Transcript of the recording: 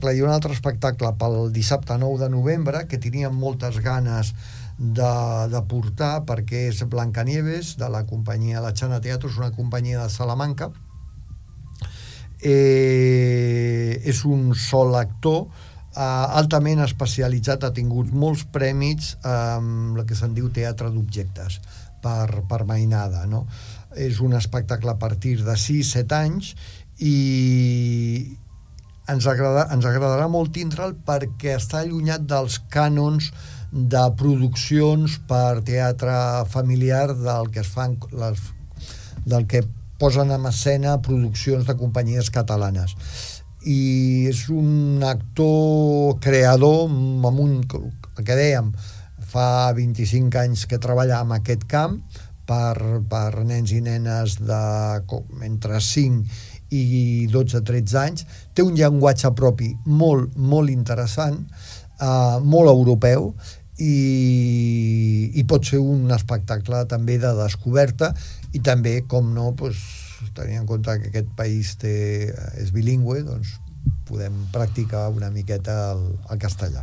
Clar, hi ha un altre espectacle pel dissabte 9 de novembre que teníem moltes ganes de portar, perquè és Blancanieves, de la companyia La Chana Teatro, és una companyia de Salamanca. És un sol actor altament especialitzat, ha tingut molts prèmits amb el que se'n diu teatre d'objectes per mainada, no? És un espectacle a partir de 6-7 anys i ens agradarà molt tindre'l perquè està allunyat dels cànons de produccions per teatre familiar del que es fan del que posen en escena produccions de companyies catalanes. I és un actor creador amb el que dèiem, fa 25 anys que treballa en aquest camp per nens i nenes entre 5 i 12-13 anys. Té un llenguatge propi molt, molt interessant, molt europeu, i pot ser un espectacle també de descoberta, i també, com no, tenint en compte que aquest país és bilingüe, doncs podem practicar una miqueta el castellà.